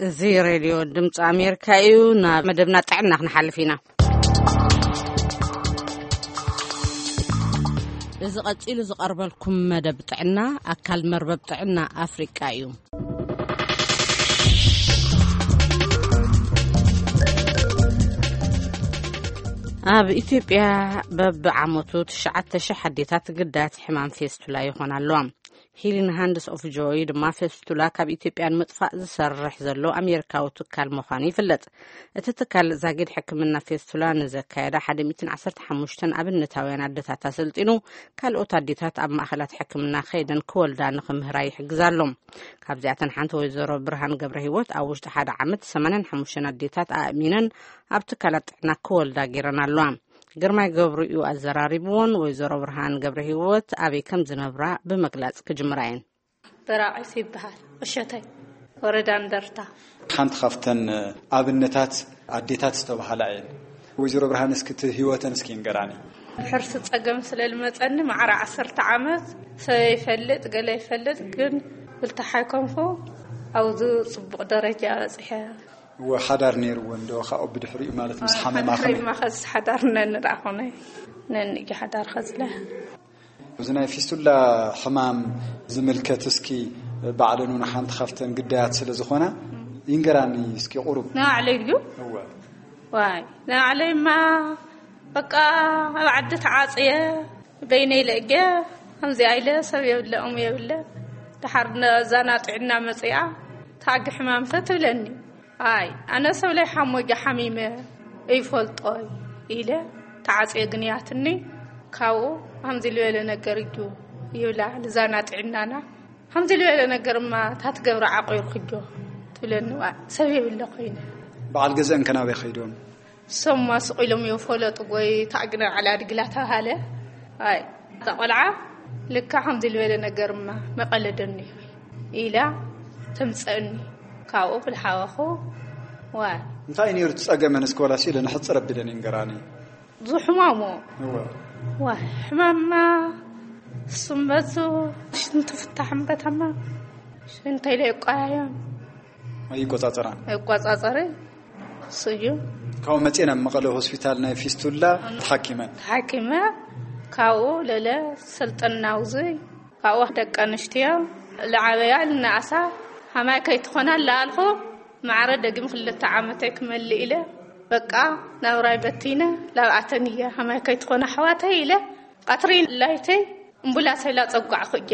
እዚ ሬድዮ ድምፂ ኣሜሪካ እዩ። ናብ መደብና ጥዕና ክንሓልፍ ኢና። እዚ ቀፂሉ ዝቐርበልኩም መደብ ጥዕና ኣካል መርበብ ጥዕና ኣፍሪቃ እዩ። ኣብ ኢትዮጵያ በብዓመቱ ትሽዓተ ሺሕ ኣዴታት ግዳያት ሕማም ፌስቱላ ይኾና ኣለዋ። ሂሊንግ ሃንድስ ኦፍ ጆይ ድማ ፌስቱላ ካብ ኢትዮጵያ ንምጥፋእ ዝሰርሕ ዘሎ ኣሜሪካዊ ትካል ምዃኑ ይፍለጥ። እቲ ትካል ዛጊድ ሕክምና ፌስቱላ ንዘካየዳ ሓደ ሚእትን ዓሰርተ ሓሙሽተን ኣብነታውያን ኣዴታት ኣሰልጢኑ፣ ካልኦት ኣዴታት ኣብ ማእኸላት ሕክምና ከይደን ክወልዳ ንኽምህራ ይሕግዝ ኣሎ። ካብዚኣተን ሓንቲ ወይዘሮ ብርሃን ገብረ ህይወት ኣብ ውሽጢ ሓደ ዓመት ሰማንያን ሓሙሽተን ኣዴታት ኣእሚነን ኣብ ትካላት ጥዕና ክወልዳ ገይረን ኣለዋ። ግርማይ ገብሩ እዩ ኣዘራሪብዎን፣ ወይዘሮ ብርሃን ገብረ ህይወት ኣበይ ከም ዝነብራ ብምግላጽ ክጅምራ እየን። በራቒስ ይበሃል። እሸተይ፣ ወረዳ እንደርታ። ሓንቲ ካብተን ኣብነታት ኣዴታት ዝተባሃላ እየን። ወይዘሮ ብርሃን፣ እስኪ እቲ ህይወተን እስኪ ንገራኒ። ብሕርሲ ጸገም ስለ ዝመጸኒ፣ ማዕረ ዓሰርተ ዓመት ሰብ ይፈልጥ፣ ገለ ይፈልጥ፣ ግን ብልታ ሓይኮንኩ ኣብዚ ጽቡቕ ደረጃ በጺሐ። እወ፣ ሓዳር ነይርወን ዶ ካብኡ ብድሕሪኡ፣ ማለት ምስ ሓመማ ከመይ? ሓዳር ሓዳር ነን ደኣ ኮነ፣ ነን እየ ሓዳር ከዝለ። እዚ ናይ ፊስቱላ ሕማም ዝምልከት፣ እስኪ ባዕለን እውን ሓንቲ ካብተን ግዳያት ስለ ዝኾና ይንገራኒ እስኪ ቁሩብ። ንባዕለይ ድዩ? እወ። ዋይ፣ ንባዕለይማ በቃ ኣብ ዓዲ ተዓጽየ፣ በይነይ ለእገ፣ ከምዚኣ ኢለ ሰብ የብለ፣ እሙ የብለ። ደሓር ነዛ ና ጥዕና መጽኣ፣ ታጊ ሕማምከ ትብለኒ። ኣይ፣ ኣነ ሰብ ላይ ሓሞጃ ሓሚመ እይፈልጦይ ኢለ ተዓጽየ ግንያትኒ። ካብኡ ከምዚ ልበለ ነገር እዩ ይብላ፣ ልዛና ጥዕናና። ከምዚ ልበለ ነገርማ ታትገብረ ዓቂርክጆ ትብለኒ። ዋ፣ ሰብ የብለ ኮይነ። በዓል ገዛእን ከናበይ ከይዶም? ሰማ ስቕ ኢሎም እዮም ፈለጡ። ጎይ ታዕግነ ዓላ ድግላ ተባሃለ። ኣይ፣ እታ ቆልዓ ልካ ከምዚ ልበለ ነገርማ መቐለደኒ ኢላ ተምፀእኒ። ካብኡ ብልሓወኹ። ዋይ፣ እንታይ ነይሩ እቲ ጸገመን? እስከ ዋላሲ ኢለ ንሕፅር ኣቢለን ይንገራኒ። ብዙ ሕማሙ። እወ። ዋይ፣ ሕማማ ስመቱ ሽንቲ ፍታሕ እምበታማ ሽንተይ ለይቋያዮም። ኣይቆጻጸራን። ኣይቆጻጸርን። ስዩ። ካብኡ መጽኤ ናብ መቐለ ሆስፒታል ናይ ፊስቱላ ተሓኪመን። ተሓኪመ። ካብኡ ለለ ሰልጠና ውዙይ። ካብኡ ደቂ ኣንስትዮ ልዓበያ ልነኣሳ ሃማይ ከይትኾና ለኣልኹ። ማዕረ ደጊም ክልተ ዓመተይ ክመልእ ኢለ በቃ ናብራይ በቲነ ላብኣተን እየ ሃማይ ከይትኾና ኣሕዋተይ ኢለ ቀትሪ ላይተይ እምቡላሰይ ላጸጓዕኹ እየ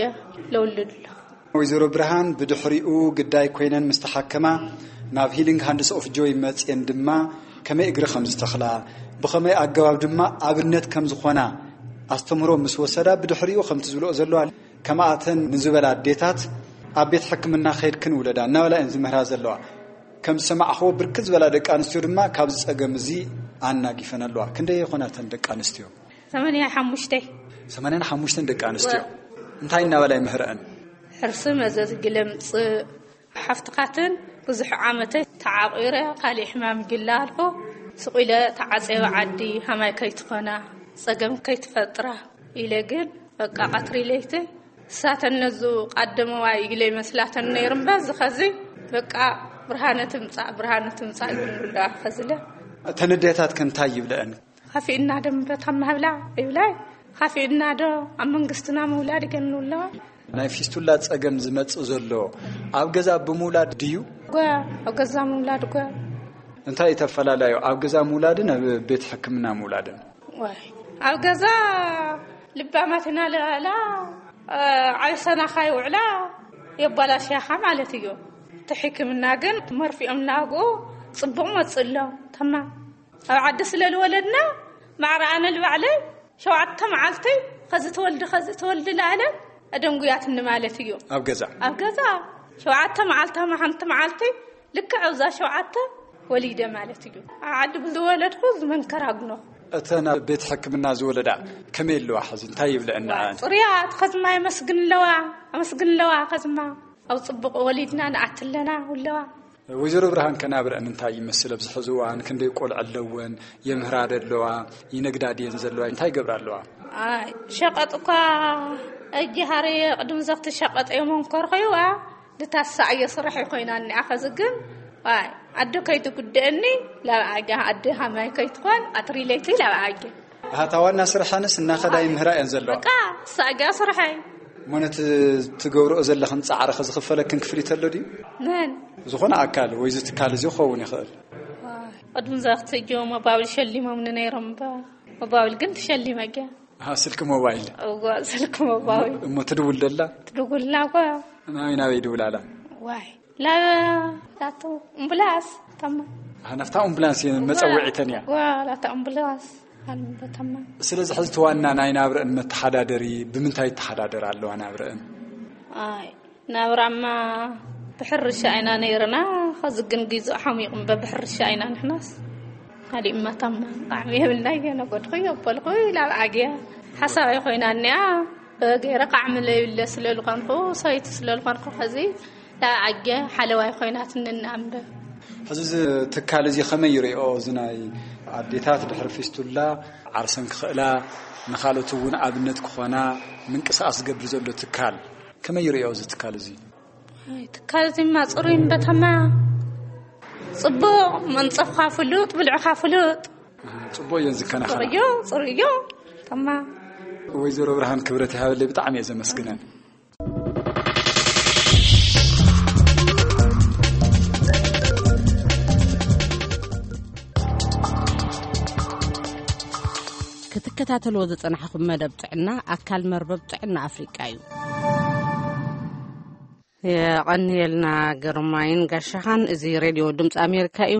ለውልድ ኣለኹ። ወይዘሮ ብርሃን ብድሕሪኡ ግዳይ ኮይነን ምስ ተሓከማ ናብ ሂሊንግ ሃንድስ ኦፍ ጆይ መጽየን ድማ ከመይ እግሪ ከም ዝተኽላ፣ ብኸመይ ኣገባብ ድማ ኣብነት ከም ዝኾና ኣስተምህሮ ምስ ወሰዳ፣ ብድሕሪኡ ከምቲ ዝብልኦ ዘለዋ ከማኣተን ንዝበላ ኣዴታት ኣብ ቤት ሕክምና ከይድክን ውለዳ እናበላ እየን ዝምህራ ዘለዋ። ከም ዝሰማዕኽዎ ብርክት ዝበላ ደቂ ኣንስትዮ ድማ ካብዚ ጸገም እዚ ኣናጊፈን ኣለዋ። ክንደይ ይኾናተን ደቂ ኣንስትዮ? ሰማንያ ሓሙሽተ። ሰማንያን ሓሙሽተን ደቂ ኣንስትዮ። እንታይ እናበላ ይምህረአን? ሕርሲ መዘዝ ግለምጽእ ሓፍትኻትን ብዙሕ ዓመተይ ተዓቒረ ካሊእ ሕማም ጅላ ኣልፎ ስቕ ኢለ ተዓጸበ ዓዲ ሃማይ ከይትኾና ጸገም ከይትፈጥራ ኢለ ግን በቃ ቀትሪ ለይቲ እሳተን ነዙ ቃደመዋ ኢለ ይመስላተን ነይሩ እምበር ዝኸዚ በቃ ብርሃነ ትምጻእ ብርሃነ ትምጻእ ይብሉላ ከዝለ። እተን ኣዴታት ከ እንታይ ይብለአን? ካፊእና ዶ ምረታም ማህብላ ይብላይ። ካፊእና ዶ ኣብ መንግስትና ምውላድ ይገንውለዋ። ናይ ፊስቱላ ጸገም ዝመጽእ ዘሎ ኣብ ገዛ ብምውላድ ድዩ? ጓ ኣብ ገዛ ምውላድ ጓ። እንታይ እዩ ተፈላላዩ ኣብ ገዛ ምውላድን ኣብ ቤት ሕክምና ምውላድን? ዋይ ኣብ ገዛ ልባማት ኢና ለላ ዓብሰናኻ ይውዕላ የባላሽያኻ ማለት እዩ። እቲ ሕክምና ግን መርፊኦም ናብኡ ጽቡቕ መጽእ ኣሎ። ተማም ኣብ ዓዲ ስለ ዝወለድና ማዕረ ኣነ ልባዕለይ ሸውዓተ መዓልተይ ከዚ ትወልዲ ከዚ ትወልዲ ለኣለ ኣደንጉያትኒ ማለት እዩ። ኣብ ገዛ ኣብ ገዛ ሸውዓተ መዓልታ ሓንቲ መዓልቲ ልክዕ ኣብዛ ሸውዓተ ወሊደ ማለት እዩ። ኣብ ዓዲ ብዝወለድኩ ዝመንከር ኣግኖ። እተን ኣብ ቤት ሕክምና ዝወለዳ ከመይ ኣለዋ ሕዚ እንታይ ይብለአን ንዓን? ፅሩያት ከዝማ የመስግን ኣለዋ። ኣመስግን ኣለዋ ከዝማ ኣብ ፅቡቕ ወሊድና ንኣትለና ኣለዋ። ወይዘሮ ብርሃን ከናብረአን እንታይ ይመስል ኣብዚ ሕዚ እዋን ክንደይ ቆልዑ ኣለወን? የምህራ ዶ ኣለዋ? ይነግዳ ድየን ዘለዋ እንታይ ይገብራ ኣለዋ? ኣይ ሸቐጥ እኳ እጅ ሃረየ ቅድም ዘኽቲ ሸቐጥ የመንኮርኸይዋ ድታሳእየ ስራሕ ይኮይና እኒኣ ኸዚ ግን ኣይ ኣደ ከይትጉድእኒ ላብዓጋ ኣደ ሃማይ ከይትኾን ኣትሪለይቲ ላብዓጋ። ኣታ ዋና ስርሐንስ እናኸዳ ይምህራ እየን ዘለዋ። በቃ ሳጋ ስርሐይ። ሞነት ትገብርኦ ዘለኽን ፃዕርኸ ዝኽፈለክን ክፍሊት ኣሎ ድዩ? መን ዝኾነ ኣካል ወይ ዝትካል እዚ ክኸውን ይኽእል። ቅድሚ ዛኽትእጆ መባብል ሸሊሞምኒ ነይሮም እባ። መባብል ግን ትሸሊመ ገ። ስልክ ሞባይል። እዋ ስልክ ሞባይል። እሞ ትድውል ደላ? ትድውልና እኳ። ናበይ ናበይ ይድውላላ? ዋይ ላበ ላቶ እምብላስ ተማ። ናፍታ ኣምቡላንስ እየን መፀውዒተን እያ። ዋ ላታ እምብላስ ኣልምበተማ። ስለዚ ሕዚ ተዋና ናይ ናብረአን መተሓዳደሪ ብምንታይ ይተሓዳደር ኣለዋ ናብረአን? ኣይ ናብራማ ብሕርሻ ኣይና ነይርና። ኸዚ ግን ጊዙ ሓሚቑ እምበ ብሕርሻ ኣይና ንሕናስ። ካሊእ መታማ ጣዕሚ የብልና እየ ነገድኹ የበልኩ ላብ ዓግያ ሓሳባይ ኮይና እኒኣ። ገይረ ቃዕሚ ለይብለ ስለልኾንኩ ሰይቲ ስለልኾንኩ ኸዚ ላብ ዓግያ ሓለዋይ ኮይናትኒ እናእምበ። ሕዚ እዚ ትካል እዚ ከመይ ይርእኦ? እዚ ናይ ኣዴታት ድሕሪ ፊስቱላ ዓርሰን ክኽእላ ንኻልኦት እውን ኣብነት ክኾና ምንቅስቃስ ዝገብር ዘሎ ትካል ከመይ ይርእዮ እዚ ትካል እዚ? ኣይ፣ ትካል እዚማ ጽሩይ እምበታማ ጽቡቕ መንጸፍካ ፍሉጥ ብልዕኻ ፍሉጥ። ጽቡቕ እየን ዝከናኸና። ጽሩዮ ጽሩዮ ተማ። ወይዘሮ ብርሃን ክብረት ይሃበለይ ብጣዕሚ እየ ዘመስግነን። ክትከታተልዎ ዝጸናሕኹም መደብ ጥዕና ኣካል መርበብ ጥዕና ኣፍሪቃ እዩ። የቐንየልና ግርማይን ጋሻኻን። እዚ ሬድዮ ድምፂ ኣሜሪካ እዩ።